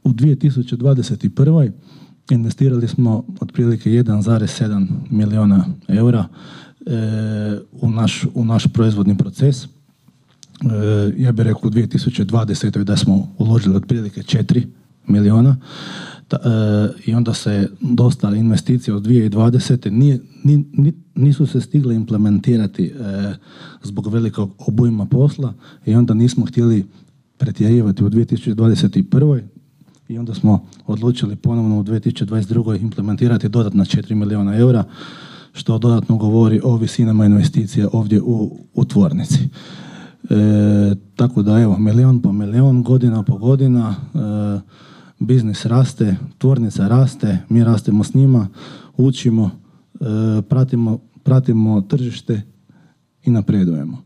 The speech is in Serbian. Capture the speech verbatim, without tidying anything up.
u dvije tisuće dvadeset prve investirali smo otprilike jedan zarez sedam milijuna eura e, u, naš, u naš proizvodni proces. E, ja bih rekao u dvije tisuće dvadesete da smo uložili otprilike četiri milijuna. Ta, e, I onda se dosta investicija od dvije tisuće dvadesete nije, ni, ni, nisu se stigle implementirati e, zbog velikog obujma posla i onda nismo htjeli pretjerivati u dvije tisuće dvadeset prve i onda smo odlučili ponovno u dvije tisuće dvadeset druge implementirati dodatna četiri milijuna eura, što dodatno govori o visinama investicija ovdje u, u tvornici. E, tako da evo, milijon po milijon, godina po godina, e, biznis raste, tvornica raste, mi rastemo s njima, učimo, e, pratimo, pratimo tržište i napredujemo.